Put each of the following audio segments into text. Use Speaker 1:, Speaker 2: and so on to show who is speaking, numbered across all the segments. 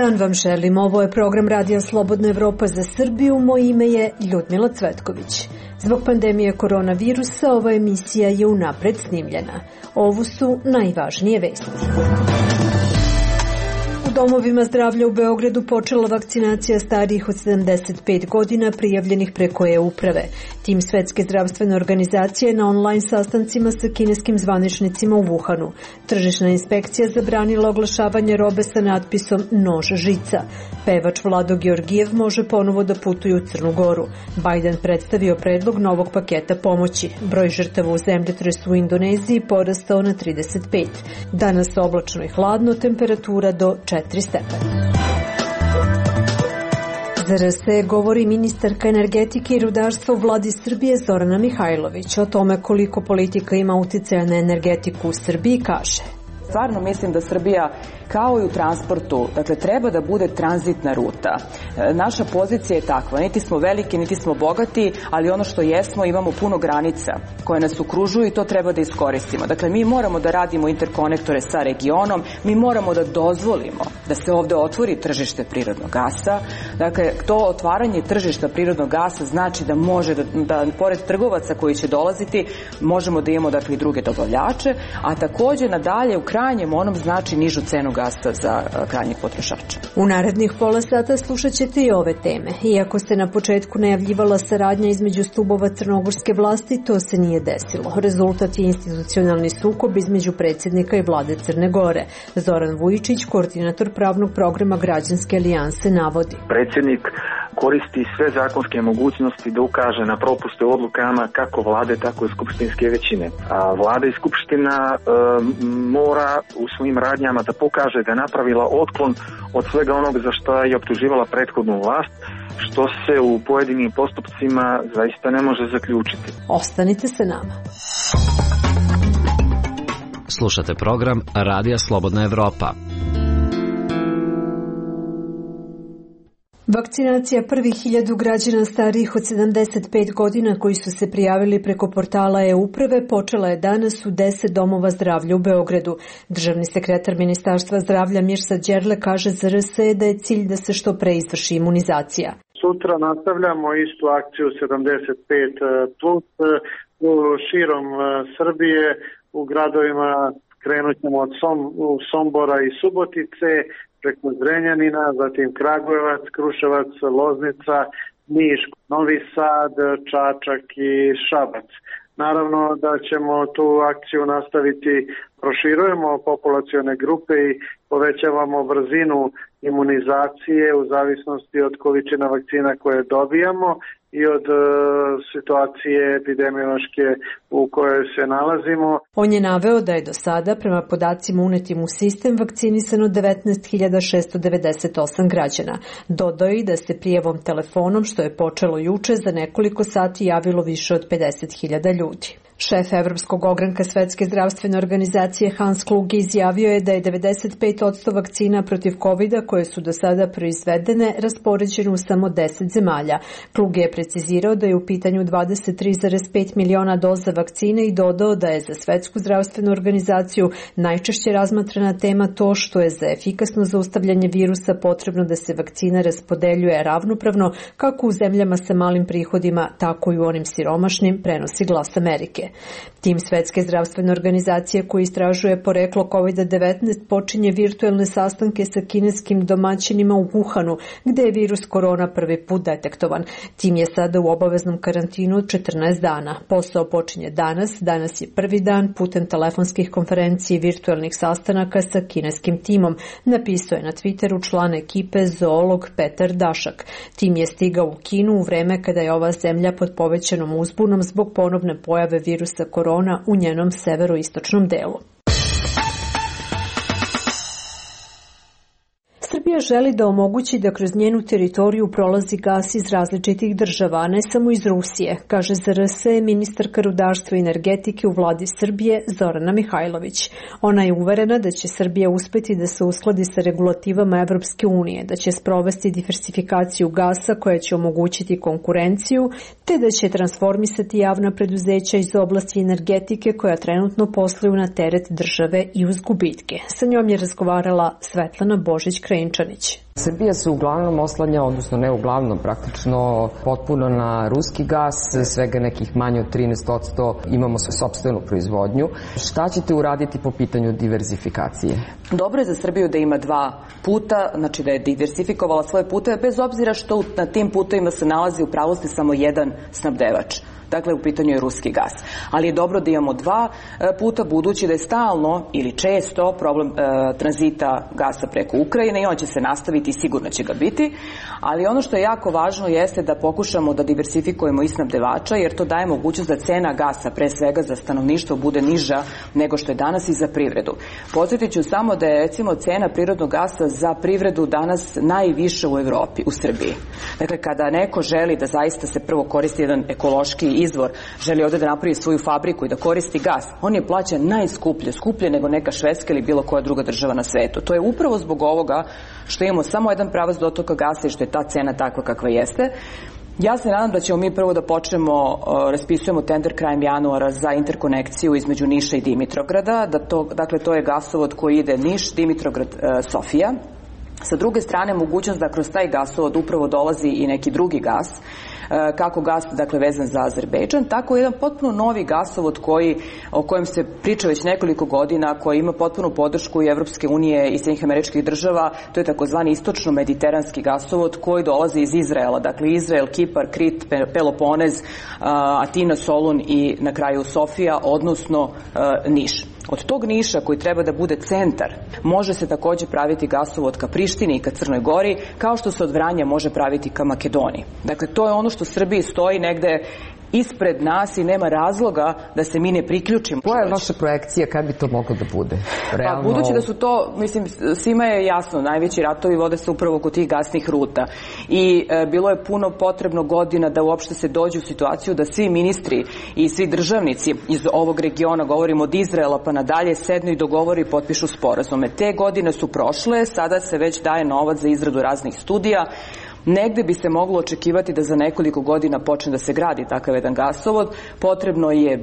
Speaker 1: dan vam želim. Ovo je program Radija Slobodna Evropa za Srbiju. Moje ime je Ljudmila Cvetković. Zbog pandemije koronavirusa ova emisija je unapred snimljena. Ovo su najvažnije vesti. U domovima zdravlja u Beogradu počela vakcinacija starijih od 75 godina prijavljenih preko e-uprave. Tim Svetske zdravstvene organizacije na online sastancima sa kineskim zvaničnicima u Wuhanu. Tržišna inspekcija zabranila oglašavanje robe sa natpisom nož žica. Pevač Vlado Georgijev može ponovo da putuje u Crnu Goru. Biden predstavio predlog novog paketa pomoći. Broj žrtava u zemljotresu u Indoneziji porastao na 35. Danas oblačno i hladno, temperatura do 4 stepena. Za RS govori ministarka energetike i rudarstva u vladi Srbije Zorana Mihajlović. O tome koliko politika ima uticaja na energetiku u Srbiji kaže:
Speaker 2: Stvarno mislim da Srbija, kao i u transportu, dakle, treba da bude tranzitna ruta. Naša pozicija je takva, niti smo veliki, niti smo bogati, ali ono što jesmo, imamo puno granica koje nas okružuju i to treba da iskoristimo. Dakle, mi moramo da radimo interkonektore sa regionom, mi moramo da dozvolimo da se ovde otvori tržište prirodnog gasa. Dakle, to otvaranje tržišta prirodnog gasa znači da može da pored trgovaca koji će dolaziti, možemo da imamo, dakle, i druge dobavljače, a takođe nadalje u krajnjem onom znači nižu cenu gasa za krajnjeg potrošača.
Speaker 1: U narednih pola sata slušat ćete i ove teme. Iako se na početku najavljivala saradnja između stubova crnogorske vlasti, to se nije desilo. Rezultat je institucionalni sukob između predsjednika i vlade Crne Gore. Zoran Vujičić, koordinator pravnog programa Građanske alijanse, navodi:
Speaker 3: Predsjednik koristi sve zakonske mogućnosti da ukaže na propuste u odlukama kako vlade, tako i skupštinske većine. A vlada i skupština mora u svojim radnjama da pokaže da je napravila otklon od svega onog za što je optuživala prethodnu vlast, što se u pojedinim postupcima zaista ne može zaključiti.
Speaker 1: Ostanite sa nama.
Speaker 4: Slušate program Radija Slobodna Evropa.
Speaker 1: Vakcinacija prvih 1000 građana starijih od 75 godina koji su se prijavili preko portala e-uprave počela je danas u 10 domova zdravlja u Beogradu. Državni sekretar Ministarstva zdravlja Mirsa Đerle kaže za RS da je cilj da se što pre izvrši imunizacija.
Speaker 5: Sutra nastavljamo istu akciju 75+, širom Srbije, u gradovima krenut ćemo od Sombora i Subotice, preko Zrenjanina, zatim Kragujevac, Kruševac, Loznica, Niš, Novi Sad, Čačak i Šabac. Naravno da ćemo tu akciju nastaviti, proširujemo populacione grupe i povećavamo brzinu imunizacije u zavisnosti od količina vakcina koje dobijamo i od situacije epidemiološke u kojoj se nalazimo.
Speaker 1: On je naveo da je do sada, prema podacima unetim u sistem, vakcinisano 19.698 građana. Dodao je da se prijavom telefonom, što je počelo juče, za nekoliko sati javilo više od 50.000 ljudi. Šef Evropskog ogranka Svetske zdravstvene organizacije Hans Kluge izjavio je da je 95% vakcina protiv COVID-a koje su do sada proizvedene raspoređene u samo 10 zemalja. Kluge je precizirao da je u pitanju 23,5 miliona doza vakcine i dodao da je za Svetsku zdravstvenu organizaciju najčešće razmatrana tema to što je za efikasno zaustavljanje virusa potrebno da se vakcina raspodeljuje ravnopravno kako u zemljama sa malim prihodima, tako i u onim siromašnim, prenosi Glas Amerike. Tim Svetske zdravstvene organizacije koji istražuje poreklo COVID-19 počinje virtuelne sastanke sa kineskim domaćinima u Wuhanu, gde je virus korona prvi put detektovan. Tim je sada u obaveznom karantinu od 14 dana. Posao počinje danas je prvi dan putem telefonskih konferencija i virtuelnih sastanaka sa kineskim timom, napisao je na Twitteru član ekipe zoolog Petar Dašak. Tim je stigao u Kinu u vreme kada je ova zemlja pod povećanom uzbunom zbog ponovne pojave virusa korona u njenom severoistočnom delu. Srbija želi da omogući da kroz njenu teritoriju prolazi gas iz različitih država, a ne samo iz Rusije, kaže za RS ministarka rudarstva i energetike u vladi Srbije Zorana Mihajlović. Ona je uverena da će Srbija uspeti da se uskladi sa regulativama Evropske unije, da će sprovesti diversifikaciju gasa koja će omogućiti konkurenciju, te da će transformisati javna preduzeća iz oblasti energetike koja trenutno posluju na teret države i uz gubitke. Sa njom je razgovarala Svetlana Božić-Krenčar. Stančanić.
Speaker 6: Srbija se uglavnom oslanja, odnosno ne uglavnom, praktično potpuno na ruski gas, svega nekih manje od 13% imamo sopstvenu proizvodnju. Šta ćete uraditi po pitanju diverzifikacije?
Speaker 2: Dobro je za Srbiju da ima dva puta, znači da je diversifikovala svoje puteve, bez obzira što na tim putevima se nalazi u pravosti samo jedan snabdevač. Dakle, u pitanju je ruski gas. Ali je dobro da imamo dva puta, budući da je stalno ili često problem tranzita gasa preko Ukrajine i on će se nastaviti i sigurno će ga biti. Ali ono što je jako važno jeste da pokušamo da diversifikujemo i snabdevača, jer to daje mogućnost da cena gasa, pre svega za stanovništvo, bude niža nego što je danas i za privredu. Podsjetit ću samo da je recimo cena prirodnog gasa za privredu danas najviša u Evropi, u Srbiji. Dakle, kada neko želi da zaista se prvo koristi jedan ekološki izvor, želi ovde da napravi svoju fabriku i da koristi gas, on je plaćan najskuplje, skuplje nego neka Švedska ili bilo koja druga država na svetu. To je upravo zbog ovoga što imamo samo jedan pravac dotoka gasa i što je ta cena takva kakva jeste. Ja se nadam da ćemo mi prvo da počnemo, raspisujemo tender krajem januara za interkonekciju između Niša i Dimitrovgrada, dakle to je gasovod koji ide Niš, Dimitrovgrad, Sofija. Sa druge strane, mogućnost da kroz taj gasovod upravo dolazi i neki drugi gas, kako gas, dakle, vezan za Azerbejdžan, tako jedan potpuno novi gasovod o kojem se priča već nekoliko godina, koji ima potpunu podršku i Evropske unije i Sjedinjenih Američkih Država, to je takozvani istočno-mediteranski gasovod koji dolazi iz Izraela, dakle Izrael, Kipar, Krit, Peloponez, Atina, Solun i na kraju Sofija, odnosno Niš. Od tog Niša, koji treba da bude centar, može se takođe praviti gasovod ka Prištini i ka Crnoj Gori, kao što se od Vranja može praviti ka Makedoniji. Dakle, to je ono što Srbiji stoji negde ispred nas i nema razloga da se mi ne priključimo.
Speaker 6: Koja je vaša projekcija kad bi to moglo da bude?
Speaker 2: Pa, budući da su to, mislim, svima je jasno, najveći ratovi vode se upravo kod tih gasnih ruta i bilo je puno potrebno godina da uopšte se dođe u situaciju da svi ministri i svi državnici iz ovog regiona, govorimo od Izraela pa nadalje, sednu i dogovore i potpišu sporazume. Te godine su prošle, sada se već daje novac za izradu raznih studija. Negde bi se moglo očekivati da za nekoliko godina počne da se gradi takav jedan gasovod. Potrebno je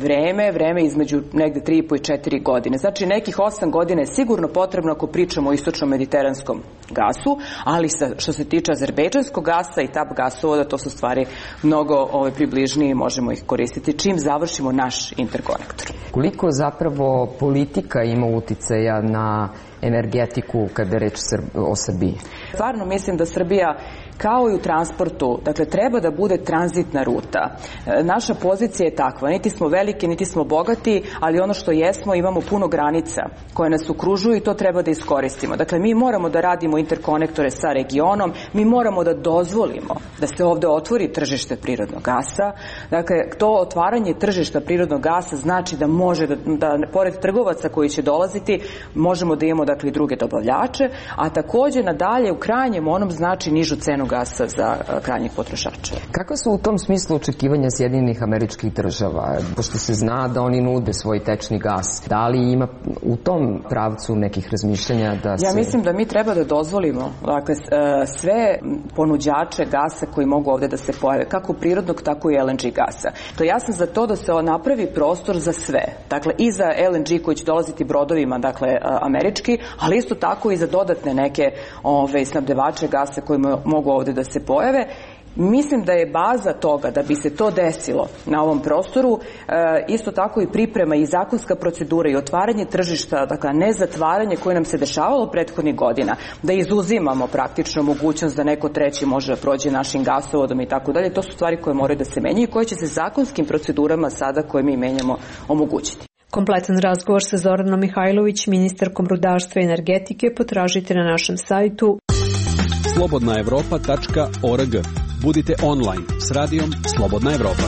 Speaker 2: vreme između negde 3,5 i 4 godine. Znači nekih 8 godina je sigurno potrebno ako pričamo o istočno-mediteranskom gasu, ali što se tiče azerbejdžanskog gasa i TAP gasovoda, to su stvari mnogo približnije i možemo ih koristiti čim završimo naš interkonektor.
Speaker 6: Koliko zapravo politika ima uticaja na energetiku kada je reč o Srbiji?
Speaker 2: Stvarno mislim da Srbija, kao i u transportu, dakle, treba da bude tranzitna ruta. Naša pozicija je takva, niti smo veliki, niti smo bogati, ali ono što jesmo, imamo puno granica koje nas okružuju i to treba da iskoristimo. Dakle, mi moramo da radimo interkonektore sa regionom, mi moramo da dozvolimo da se ovde otvori tržište prirodnog gasa. Dakle, to otvaranje tržišta prirodnog gasa znači da može da pored trgovaca koji će dolaziti, možemo da imamo, dakle, i druge dobavljače, a takođe nadalje u krajnjem onom znači nižu cenu gasa za krajnjih potrošača.
Speaker 6: Kakva su u tom smislu očekivanja Sjedinjenih Američkih Država? Pošto se zna da oni nude svoj tečni gas. Da li ima u tom pravcu nekih razmišljanja da se...
Speaker 2: Ja mislim da mi treba da dozvolimo, dakle, sve ponuđače gasa koji mogu ovde da se pojave, kako prirodnog, tako i LNG gasa. To ja sam za to da se napravi prostor za sve. Dakle, i za LNG koji će dolaziti brodovima, dakle, američki, ali isto tako i za dodatne neke snabdevače gasa koji mogu ovde da se pojave. Mislim da je baza toga da bi se to desilo na ovom prostoru isto tako i priprema i zakonska procedura i otvaranje tržišta, dakle ne zatvaranje koje nam se dešavalo prethodnih godina, da izuzimamo praktično mogućnost da neko treći može da prođe našim gasovodom i tako dalje. To su stvari koje moraju da se menjaju i koje će se zakonskim procedurama sada koje mi menjamo omogućiti.
Speaker 1: Kompletan razgovor sa Zoranom Mihajlović, ministarkom rudarstva i energetike, potražite na našem sajtu
Speaker 7: slobodnaevropa.org. Budite online s radijom Slobodna Evropa.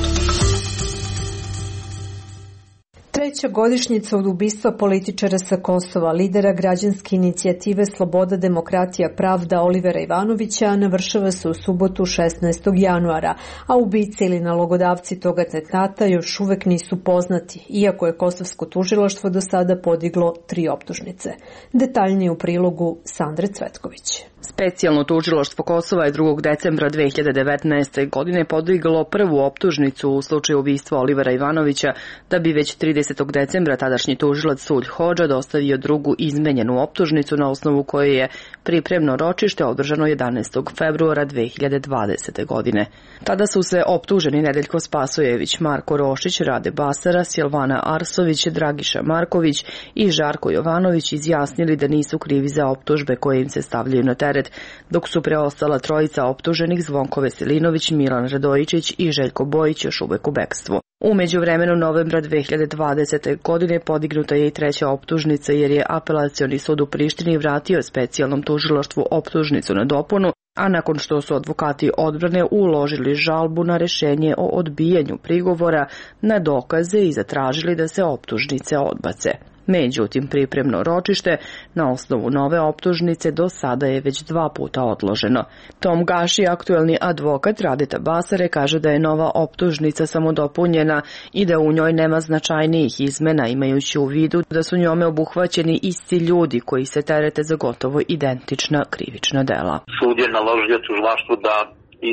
Speaker 1: Treća godišnjica od ubistva političara sa Kosova, lidera građanske inicijative Sloboda, demokratija, pravda Olivera Ivanovića navršava se u subotu 16. januara, a ubice ili nalogodavci tog atentata još uvek nisu poznati, iako je kosovsko tužilaštvo do sada podiglo 3 optužnice. Detaljnije u prilogu Sandre Cvetković.
Speaker 8: Specijalno tužilaštvo Kosova je 2. decembra 2019. godine podiglo prvu optužnicu u slučaju ubistva Olivera Ivanovića, da bi već 30. decembra tadašnji tužilac Sulj Hodža dostavio drugu izmenjenu optužnicu na osnovu koje je pripremno ročište održano 11. februara 2020. godine. Tada su se optuženi Nedeljko Spasojević, Marko Rošić, Rade Basara, Silvana Arsović, Dragiša Marković i Žarko Jovanović izjasnili da nisu krivi za optužbe koje im se stavljaju na teret, dok su preostala trojica optuženih Zvonko Veselinović, Milan Radojičić i Željko Bojić još uvek u bekstvu. U međuvremenu novembra 2020. godine podignuta je i treća optužnica jer je Apelacioni sud u Prištini vratio specijalnom tužilaštvu optužnicu na dopunu, a nakon što su advokati odbrane uložili žalbu na rešenje o odbijanju prigovora na dokaze i zatražili da se optužnice odbace. Međutim, pripremno ročište na osnovu nove optužnice do sada je već 2 puta odloženo. Tom Gaši, aktuelni advokat Radeta Basare, kaže da je nova optužnica samo dopunjena i da u njoj nema značajnijih izmena, imajući u vidu da su njome obuhvaćeni isti ljudi koji se terete za gotovo identična krivična dela.
Speaker 9: Sud je naložio tužilaštvu da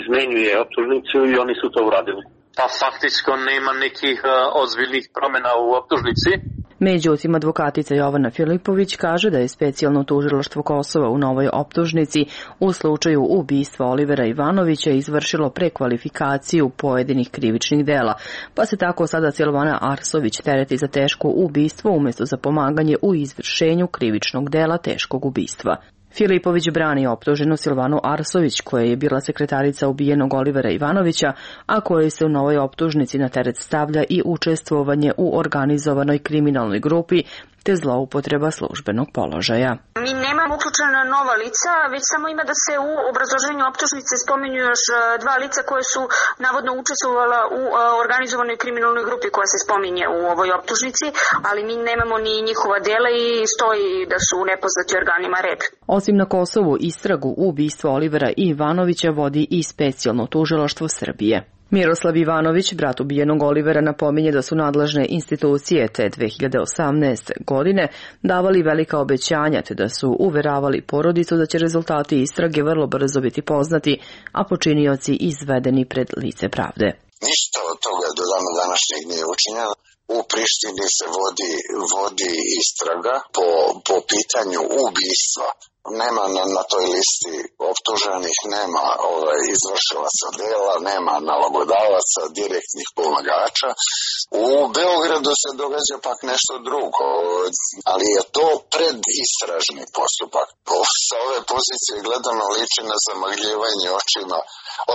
Speaker 9: izmenjuje optužnicu i oni su to uradili. Pa faktički nema nekih ozbiljnih promjena u optužnici.
Speaker 8: Međutim, advokatica Jovana Filipović kaže da je specijalno tužilaštvo Kosova u novoj optužnici u slučaju ubistva Olivera Ivanovića izvršilo prekvalifikaciju pojedinih krivičnih dela, pa se tako sada Silvana Arsović tereti za teško ubistvo umjesto za pomaganje u izvršenju krivičnog dela teškog ubistva. Filipović brani optuženu Silvanu Arsović, koja je bila sekretarica ubijenog Olivera Ivanovića, a kojoj se u novoj optužnici na teret stavlja i učestvovanje u organizovanoj kriminalnoj grupi te zloupotreba službenog položaja.
Speaker 10: Mi nemamo uključena nova lica, već samo ima da se u obrazloženju optužnice spominju još 2 lica koje su navodno učestvovala u organizovanoj kriminalnoj grupi koja se spominje u ovoj optužnici, ali mi nemamo ni njihova dela i stoji da su nepoznati organima REB.
Speaker 8: Osim na Kosovu, istragu ubistva Olivera Ivanovića vodi i specijalno tužilaštvo Srbije. Miroslav Ivanović, brat ubijenog Olivera, napominje da su nadležne institucije te 2018. godine davali velika obećanja te da su uveravali porodicu da će rezultati istrage vrlo brzo biti poznati, a počinioci izvedeni pred lice pravde.
Speaker 11: Ništa od toga do dana današnjeg nije učinjeno. U Prištini se vodi istraga po pitanju ubistva. Nema na toj listi optuženih, nema izvršilaca dela, nema nalogodavaca, direktnih pomagača. U Beogradu se događa pak nešto drugo, ali je to predistražni postupak. Sa ove pozicije gledano liči na zamagljivanje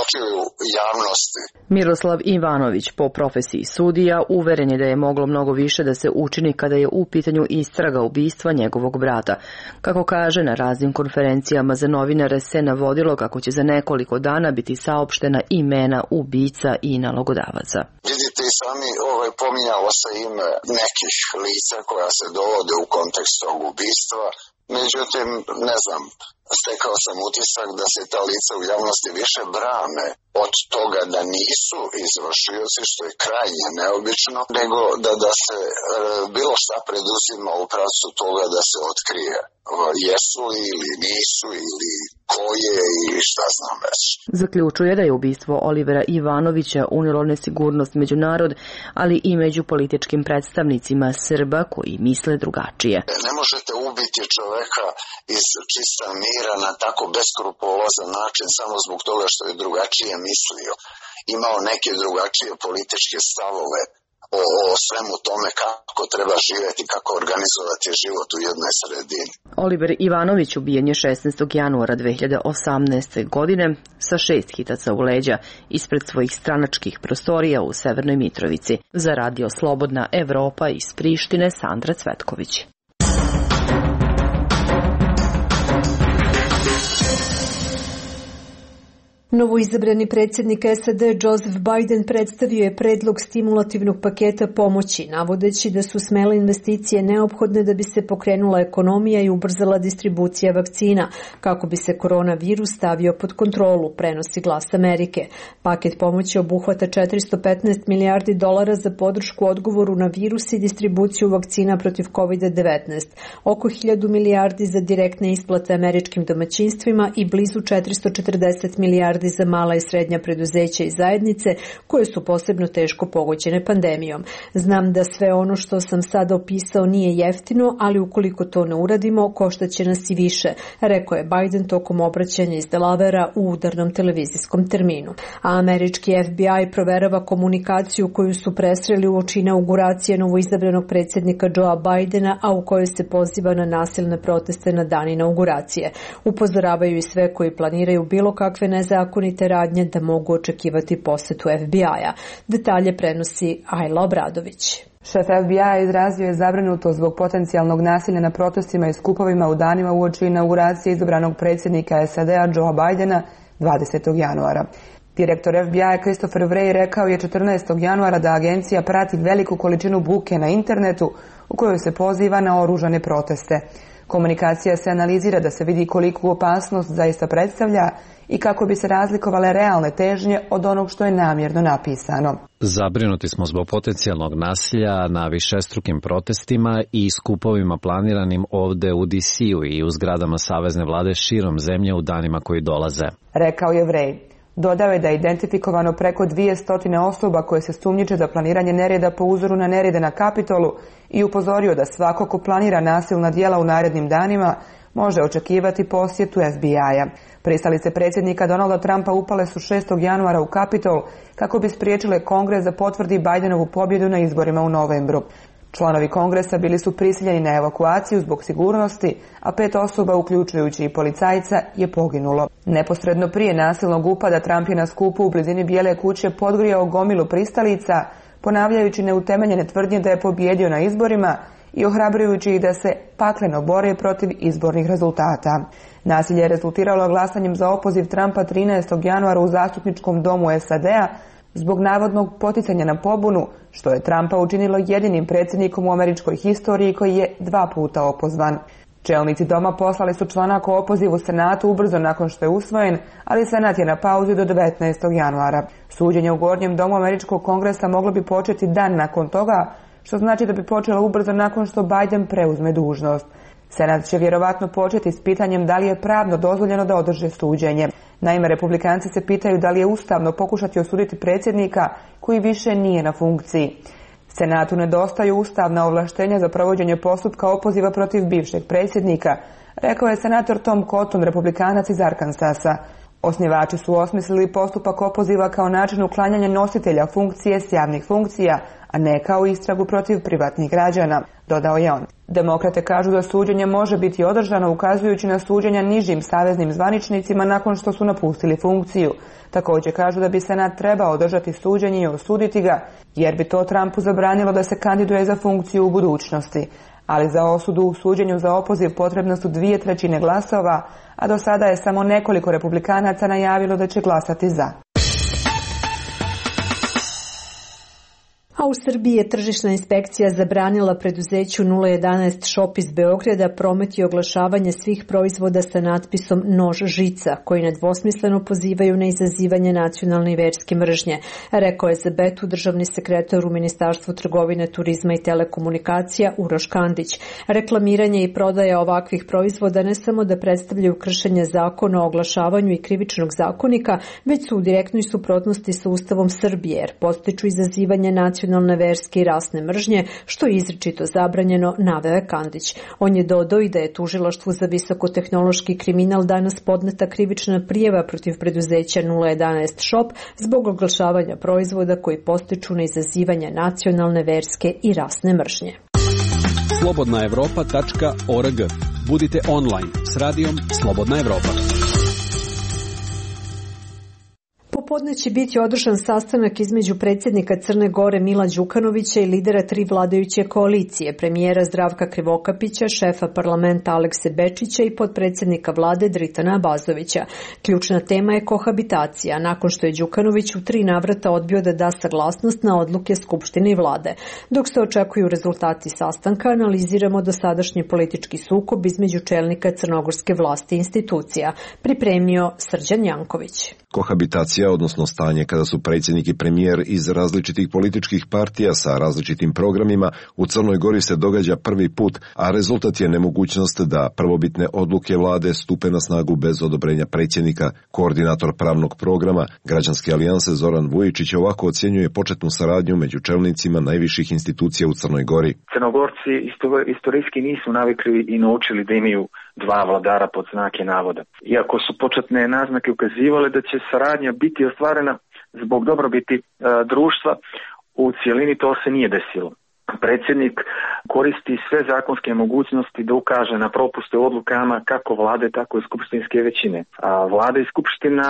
Speaker 11: očiju javnosti.
Speaker 8: Miroslav Ivanović, po profesiji sudija, uveren je da je moglo mnogo više da se učini kada je u pitanju istraga ubistva njegovog brata. Kako kaže, na raznim konferencijama za novinare se navodilo kako će za nekoliko dana biti saopštena imena ubica i nalogodavaca.
Speaker 11: Vidite i sami, pominjalo se ime nekih lica koja se dovode u kontekst tog ubistva. Međutim, ne znam, stekao sam utisak da se ta lica u javnosti više brane od toga da nisu izvršioci, što je krajnje neobično, nego da se bilo šta preduzima u pravcu toga da se otkrije jesu li ili nisu ili ko je i šta znam već.
Speaker 8: Zaključuje da je ubistvo Olivera Ivanovića unijelo nesigurnost među narod, ali i među političkim predstavnicima Srba koji misle drugačije.
Speaker 11: Ne možete ubiti čoveka iz čista mira na tako beskrupulozan način samo zbog toga što je drugačije mislio. Imao neke drugačije političke stavove o svemu tome kako treba živjeti, kako organizovati život u jednoj sredini.
Speaker 8: Oliver Ivanović ubijen je 16. januara 2018. godine sa 6 hitaca u leđa ispred svojih stranačkih prostorija u Severnoj Mitrovici. Za Radio Slobodna Evropa iz Prištine, Sandra Cvetković.
Speaker 1: Novoizabrani predsjednik SAD Joseph Biden predstavio je predlog stimulativnog paketa pomoći, navodeći da su smele investicije neophodne da bi se pokrenula ekonomija i ubrzala distribucija vakcina, kako bi se koronavirus stavio pod kontrolu, prenosi Glas Amerike. Paket pomoći obuhvata $415 milijardi za podršku odgovoru na virus i distribuciju vakcina protiv COVID-19, oko 1000 milijardi za direktne isplate američkim domaćinstvima i blizu 440 milijardi za mala i srednja preduzeća i zajednice koje su posebno teško pogođene pandemijom. Znam da sve ono što sam sada opisao nije jeftino, ali ukoliko to ne uradimo, koštaće nas i više, rekao je Biden tokom obraćanja iz Delavera u udarnom televizijskom terminu. A američki FBI proverava komunikaciju koju su presreli uoči inauguracije novoizabranog predsjednika Joea Bidena, a u kojoj se poziva na nasilne proteste na dan inauguracije. Upozoravaju i sve koji planiraju bilo kakve nezakonite radnje da mogu očekivati posetu FBI-a. Detalje prenosi Ajla Obradović.
Speaker 12: Šef FBI-a izrazio je zabrinutost zbog potencijalnog nasilja na protestima i skupovima u danima uoči inauguracije izabranog predsjednika SAD-a Joea Bidena 20. januara. Direktor FBI-a Christopher Wray rekao je 14. januara da agencija prati veliku količinu buke na internetu u kojoj se poziva na oružane proteste. Komunikacija se analizira da se vidi koliku opasnost zaista predstavlja i kako bi se razlikovale realne težnje od onog što je namjerno napisano.
Speaker 4: Zabrinuti smo zbog potencijalnog nasilja na višestrukim protestima i skupovima planiranim ovde u DC-u i u zgradama savezne vlade širom zemlje u danima koji dolaze,
Speaker 12: rekao je Wray. Dodao je da je identifikovano preko 200 osoba koje se sumnjiče za planiranje nereda po uzoru na nerede na Kapitolu i upozorio da svako ko planira nasilna djela u narednim danima može očekivati posjetu FBI-a. Pristalice predsjednika Donalda Trumpa upale su 6. januara u Kapitol kako bi spriječile Kongres da potvrdi Bidenovu pobjedu na izborima u novembru. Članovi Kongresa bili su prisiljeni na evakuaciju zbog sigurnosti, a 5 osoba, uključujući i policajca, je poginulo. Neposredno prije nasilnog upada Trump je na skupu u blizini Bijele kuće podgrijao gomilu pristalica, ponavljajući neutemeljene tvrdnje da je pobjedio na izborima i ohrabrujući ih da se pakleno bore protiv izbornih rezultata. Nasilje je rezultiralo glasanjem za opoziv Trumpa 13. januara u zastupničkom domu SAD-a zbog navodnog poticanja na pobunu, što je Trumpa učinilo jedinim predsjednikom u američkoj historiji koji je 2 puta opozvan. Čelnici doma poslali su članak o opozivu Senatu ubrzo nakon što je usvojen, ali Senat je na pauzi do 19. januara. Suđenje u Gornjem domu američkog kongresa moglo bi početi dan nakon toga, što znači da bi počelo ubrzo nakon što Biden preuzme dužnost. Senat će vjerovatno početi s pitanjem da li je pravno dozvoljeno da održe suđenje. Naime, republikanci se pitaju da li je ustavno pokušati osuditi predsjednika koji više nije na funkciji. Senatu nedostaju ustavna ovlaštenja za provođenje postupka opoziva protiv bivšeg predsjednika, rekao je senator Tom Cotton, republikanac iz Arkansasa. Osnivači su osmislili postupak opoziva kao način uklanjanja nositelja funkcije s javnih funkcija, a ne kao istragu protiv privatnih građana, dodao je on. Demokrate kažu da suđenje može biti održano ukazujući na suđenja nižim saveznim zvaničnicima nakon što su napustili funkciju. Također kažu da bi Senat trebao održati suđenje i osuditi ga, jer bi to Trumpu zabranilo da se kandiduje za funkciju u budućnosti. Ali za osudu u suđenju za opoziv potrebno su 2/3 glasova, a do sada je samo nekoliko republikanaca najavilo da će glasati za.
Speaker 1: A u Srbiji je tržišna inspekcija zabranila preduzeću 011 Shop iz Beograda promet i oglašavanje svih proizvoda sa natpisom nož žica, koji nedvosmisleno pozivaju na izazivanje nacionalne i verske mržnje, rekao je za Betu državni sekretar u Ministarstvu trgovine, turizma i telekomunikacija Uroš Kandić. Reklamiranje i prodaja ovakvih proizvoda ne samo da predstavljaju kršenje zakona o oglašavanju i krivičnog zakonika, već su u direktnoj suprotnosti sa Ustavom Srbije, jer podstiču izazivanje nacionalne, verske i rasne mržnje, što je izričito zabranjeno, naveo je Kandić. On je dodao i da je tužilaštvu za visokotehnološki kriminal danas podneta krivična prijava protiv preduzeća 011 Shop zbog oglašavanja proizvoda koji podstiču na izazivanje nacionalne, verske i rasne mržnje.
Speaker 7: slobodnaevropa.org. Budite online s radijom Slobodna Evropa.
Speaker 1: Popodne će biti održan sastanak između predsjednika Crne Gore Mila Đukanovića i lidera tri vladajuće koalicije, premijera Zdravka Krivokapića, šefa parlamenta Alekse Bečića i potpredsjednika vlade Dritana Abazovića. Ključna tema je kohabitacija, nakon što je Đukanović u 3 navrata odbio da da saglasnost na odluke Skupštine i vlade. Dok se očekuju rezultati sastanka, analiziramo dosadašnji politički sukob između čelnika crnogorske vlasti i institucija, pripremio Srđan Janković.
Speaker 13: Kohabitacija, odnosno stanje kada su predsjednik i premijer iz različitih političkih partija sa različitim programima, u Crnoj Gori se događa prvi put, a rezultat je nemogućnost da prvobitne odluke vlade stupe na snagu bez odobrenja predsjednika. Koordinator pravnog programa Građanske alijanse Zoran Vujičić ovako ocjenjuje početnu saradnju među čelnicima najviših institucija u Crnoj Gori.
Speaker 3: Crnogorci istorijski nisu navikli i naučili da imaju dva vladara pod znake navoda. Iako su početne naznake ukazivale da će saradnja biti ostvarena zbog dobrobiti društva, u cijelini to se nije desilo. Predsjednik koristi sve zakonske mogućnosti da ukaže na propuste u odlukama kako vlade, tako i skupštinske većine. A vlada i skupština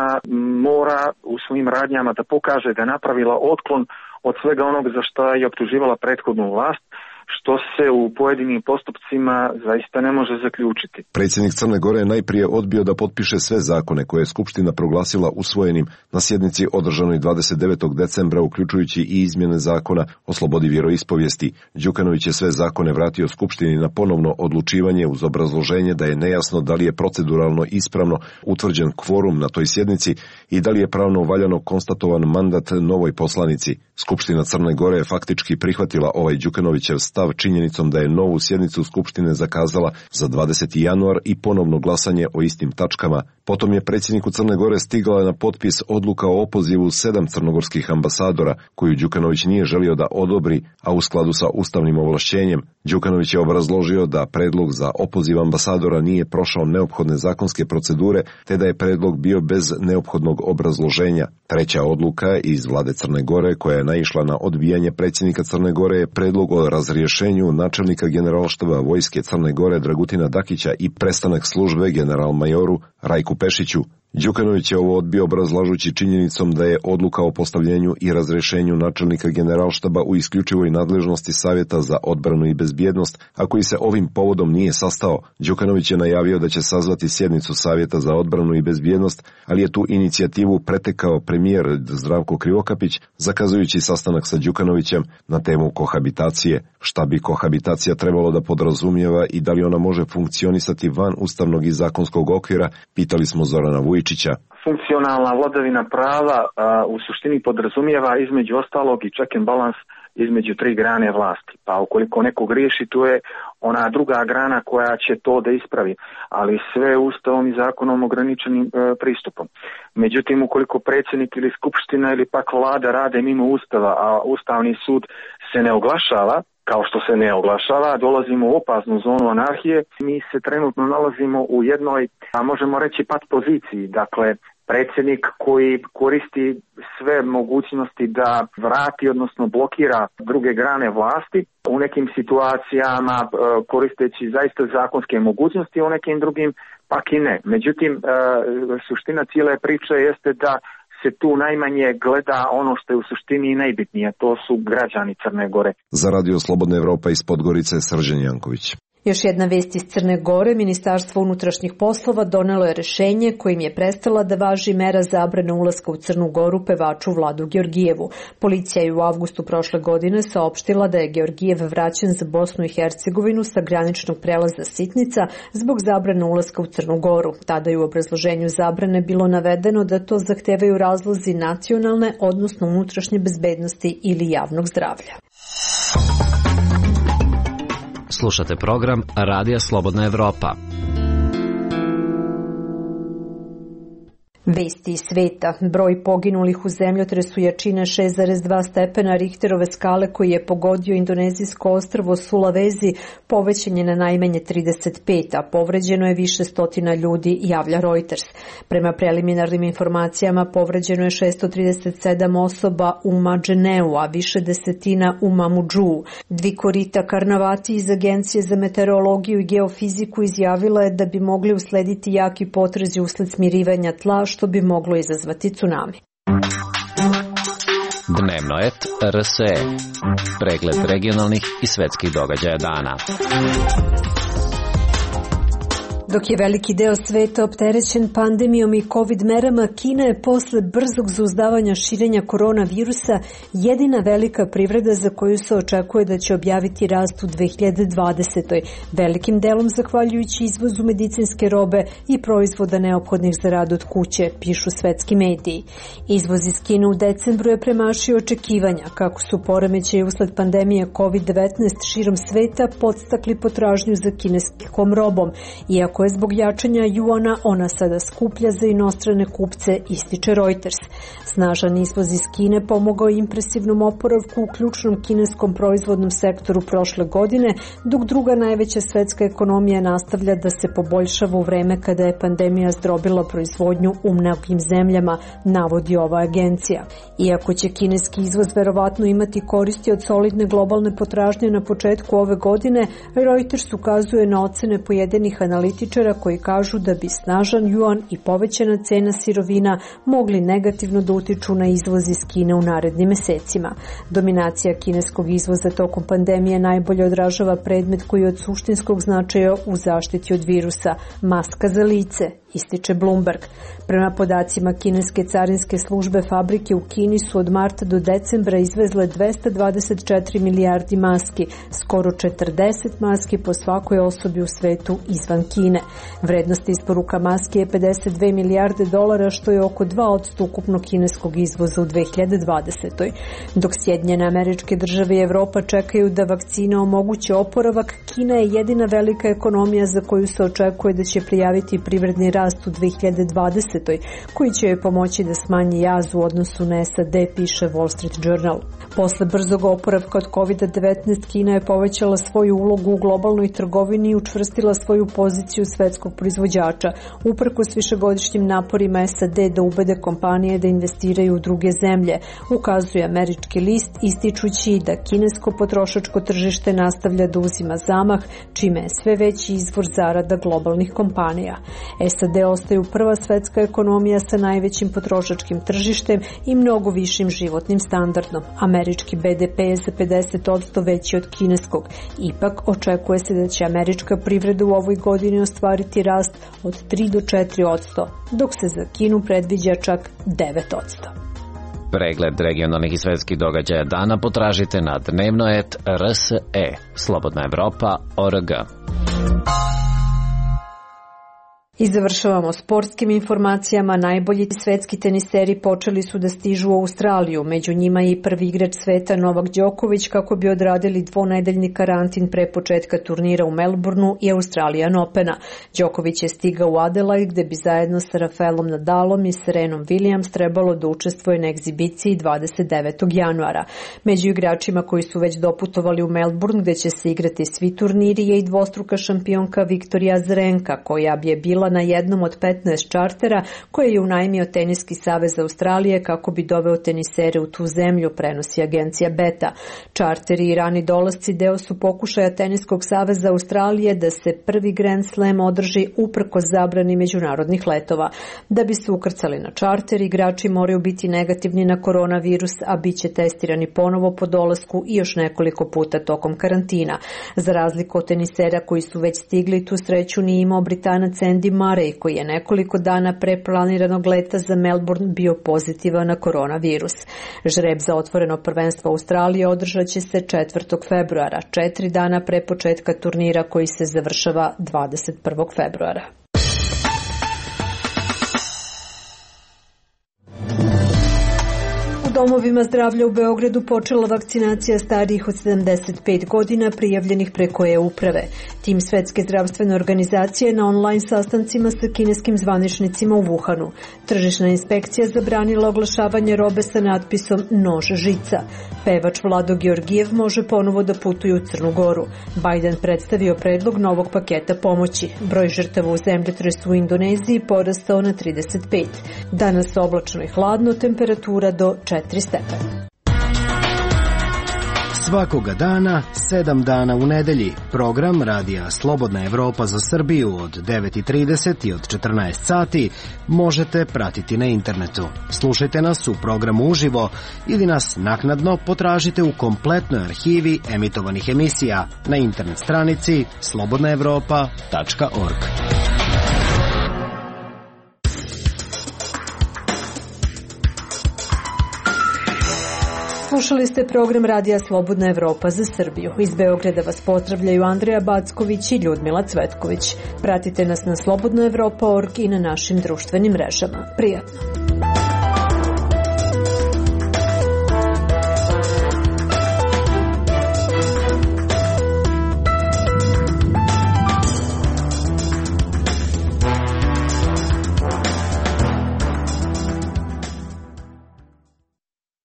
Speaker 3: mora u svojim radnjama da pokaže da je napravila otklon od svega onog za što je optuživala prethodnu vlast, što se u pojedinim postupcima zaista ne može zaključiti.
Speaker 13: Predsjednik Crne Gore je najprije odbio da potpiše sve zakone koje je Skupština proglasila usvojenim na sjednici održanoj 29. decembra, uključujući i izmjene zakona o slobodi vjeroispovijesti. Đukanović je sve zakone vratio Skupštini na ponovno odlučivanje uz obrazloženje da je nejasno da li je proceduralno ispravno utvrđen kvorum na toj sjednici i da li je pravno valjano konstatovan mandat novoj poslanici. Skupština Crne Gore je faktički prihvatila ovaj Đukanovićev stav činjenicom da je novu sjednicu Skupštine zakazala za 20. januar i ponovno glasanje o istim tačkama. Potom je predsjedniku Crne Gore stigla na potpis odluka o opozivu 7 crnogorskih ambasadora, koju Đukanović nije želio da odobri, a u skladu sa ustavnim ovlašćenjem. Đukanović je obrazložio da predlog za opoziv ambasadora nije prošao neophodne zakonske procedure, te da je predlog bio bez neophodnog obrazloženja. Treća odluka iz vlade Crne Gore, koja je naišla na odbijanje predsjednika Crne Gore, je predlog o razrješenju načelnika generalštaba vojske Crne Gore Dragutina Dakića i prestanak službe general-majoru Rajku Pešiću. Đukanović je ovo odbio obrazlažući činjenicom da je odluka o postavljenju i razrješenju načelnika generalštaba u isključivoj nadležnosti Savjeta za odbranu i bezbjednost, a koji se ovim povodom nije sastao. Đukanović je najavio da će sazvati sjednicu Savjeta za odbranu i bezbjednost, ali je tu inicijativu pretekao premijer Zdravko Krivokapić, zakazujući sastanak sa Đukanovićem na temu kohabitacije. Šta bi kohabitacija trebalo da podrazumijeva i da li ona može funkcionisati van ustavnog i zakonskog okvira, pitali smo Zorana Vujičića.
Speaker 3: Funkcionalna vladavina prava u suštini podrazumijeva između ostalog i check and balance između 3 grane vlasti. Pa ukoliko neko griješi, tu je ona druga grana koja će to da ispravi, ali sve ustavom i zakonom ograničenim pristupom. Međutim, ukoliko predsjednik ili skupština ili pak vlada rade mimo ustava, a Ustavni sud se ne oglašava, kao što se ne oglašava, dolazimo u opasnu zonu anarhije. Mi se trenutno nalazimo u jednoj, a možemo reći, pat poziciji. Dakle, predsjednik koji koristi sve mogućnosti da vrati, odnosno blokira druge grane vlasti, u nekim situacijama koristeći zaista zakonske mogućnosti, u nekim drugim pak i ne. Međutim, suština cijele priče jeste da se tu najmanje gleda ono što je u suštini najbitnije, to su građani Crne Gore.
Speaker 13: Za Radio Slobodna Evropa iz Podgorice, Srđan Janković.
Speaker 1: Još jedna vest iz Crne Gore, Ministarstvo unutrašnjih poslova donelo je rješenje kojim je prestala da važi mera zabrane ulaska u Crnu Goru pevaču Vladu Georgijevu. Policija je u avgustu prošle godine saopštila da je Georgijev vraćen za Bosnu i Hercegovinu sa graničnog prelaza Sitnica zbog zabrane ulaska u Crnu Goru. Tada je u obrazloženju zabrane bilo navedeno da to zahtevaju razlozi nacionalne, odnosno unutrašnje bezbednosti ili javnog zdravlja.
Speaker 4: Slušate program Radija Slobodna Evropa.
Speaker 1: Vesti iz sveta. Broj poginulih u zemljotresu jačine 6,2 stepena Richterove skale koji je pogodio indonezijsko ostrvo Sulawesi povećan je na najmanje 35, a povređeno je više stotina ljudi, javlja Reuters. Prema preliminarnim informacijama povređeno je 637 osoba u Madženeu, a više desetina u Mamudžuu. Dvikorita Karnavati iz Agencije za meteorologiju i geofiziku izjavila je da bi mogli uslediti jaki potrezi usled smirivanja tla, što bi moglo izazvati tsunami.
Speaker 4: Dnevnoet RSE. Pregled regionalnih i svetskih događaja dana.
Speaker 1: Dok je veliki deo sveta opterećen pandemijom i COVID merama, Kina je posle brzog zauzdavanja širenja koronavirusa jedina velika privreda za koju se očekuje da će objaviti rast u 2020. Velikim delom zahvaljujući izvozu medicinske robe i proizvoda neophodnih za rad od kuće, pišu svetski mediji. Izvoz iz Kine u decembru je premašio očekivanja, kako su poremećaji usled pandemije COVID-19 širom sveta podstakli potražnju za kineskom robom, iako je zbog jačanja juana ona sada skuplja za inostrane kupce, ističe Reuters. Snažan izvoz iz Kine pomogao impresivnom oporavku u ključnom kineskom proizvodnom sektoru prošle godine, dok druga najveća svetska ekonomija nastavlja da se poboljšava u vreme kada je pandemija zdrobila proizvodnju u mnogim zemljama, navodi ova agencija. Iako će kineski izvoz verovatno imati koristi od solidne globalne potražnje na početku ove godine, Reuters ukazuje na ocene pojedinih analitičara koji kažu da bi snažan juan i povećana cena sirovina mogli negativno da utiču na izvoz iz Kine u narednim mesecima. Dominacija kineskog izvoza tokom pandemije najbolje odražava predmet koji je od suštinskog značaja u zaštiti od virusa, maska za lice, ističe Bloomberg. Prema podacima kineske carinske službe, fabrike u Kini su od marta do decembra izvezle 224 milijardi maski, skoro 40 maski po svakoj osobi u svetu izvan Kine. Vrednost isporuka maski je 52 milijarde dolara, što je oko 2% ukupnog kineskog izvoza u 2020. Dok Sjedinjene Američke Države i Evropa čekaju da vakcina omoguće oporavak, Kina je jedina velika ekonomija za koju se očekuje da će prijaviti privredni rast u 2020. koji će joj pomoći da smanji jaz u odnosu na SAD, piše Wall Street Journal. Posle brzog oporavka od COVID-19, Kina je povećala svoju ulogu u globalnoj trgovini i učvrstila svoju poziciju svetskog proizvođača, uprkos višegodišnjim naporima SAD da ubede kompanije da investiraju u druge zemlje, ukazuje američki list, ističući da kinesko potrošačko tržište nastavlja da uzima zamah, čime je sve veći izvor zarada globalnih kompanija. SAD ostaju prva svetska ekonomija sa najvećim potrošačkim tržištem i mnogo višim životnim standardom. Američki BDP je za 50% veći od kineskog. Ipak, očekuje se da će američka privreda u ovoj godini ostvariti rast od 3 do 4%, dok se za Kinu predviđa čak 9%.
Speaker 4: Pregled regionalnih i svetskih događaja dana potražite na Dnevnoet RSE, Slobodna Evropa.org.
Speaker 1: I završavamo sportskim informacijama. Najbolji svetski teniseri počeli su da stižu u Australiju. Među njima je i prvi igrač sveta Novak Đoković kako bi odradili dvonedeljni karantin pre početka turnira u Melbourneu i Australian Opena. Đoković je stigao u Adelaide gde bi zajedno sa Rafaelom Nadalom i Serenom Williams trebalo da učestvuje na egzibiciji 29. januara. Među igračima koji su već doputovali u Melbourne gde će se igrati svi turniri je i dvostruka šampionka Viktorija Azarenka, koja bi je bila na jednom od 15 čartera koje je unajmio Teniski savez Australije kako bi doveo tenisere u tu zemlju, prenosi agencija Beta. Čarteri i rani dolasci deo su pokušaja Teniskog saveza Australije da se prvi Grand Slam održi uprkos zabrani međunarodnih letova. Da bi se ukrcali na čarter, igrači moraju biti negativni na koronavirus, a bit će testirani ponovo po dolasku i još nekoliko puta tokom karantina. Za razliku od tenisera koji su već stigli, tu sreću nije imao Britanac Andy Murray, koji je nekoliko dana pre planiranog leta za Melbourne bio pozitivan na koronavirus. Žreb za otvoreno prvenstvo Australije održat će se 4. februara, 4 dana pre početka turnira koji se završava 21. februara. U domovima zdravlja u Beogradu počela vakcinacija starijih od 75 godina prijavljenih preko e-uprave. Tim Svetske zdravstvene organizacije na online sastancima sa kineskim zvaničnicima u Wuhanu. Tržišna inspekcija zabranila oglašavanje robe sa natpisom nož žica. Pevač Vlado Georgijev može ponovo da putuje u Crnu Goru. Biden predstavio predlog novog paketa pomoći. Broj žrtava u zemljotresu u Indoneziji porastao na 35. Danas oblačno i hladno, temperatura do 4 stepena.
Speaker 14: Svakoga dana, 7 dana u nedelji. Program Radija Slobodna Evropa za Srbiju od 9:30 i od 14 sati možete pratiti na internetu. Slušajte nas u programu uživo ili nas naknadno potražite u kompletnoj arhivi emitovanih emisija na internet stranici slobodnaevropa.org.
Speaker 1: Slušali ste program Radija Slobodna Evropa za Srbiju. Iz Beograda vas pozdravljaju Andreja Backović i Ljudmila Cvetković. Pratite nas na slobodnaevropa.org i na našim društvenim mrežama. Prijatno!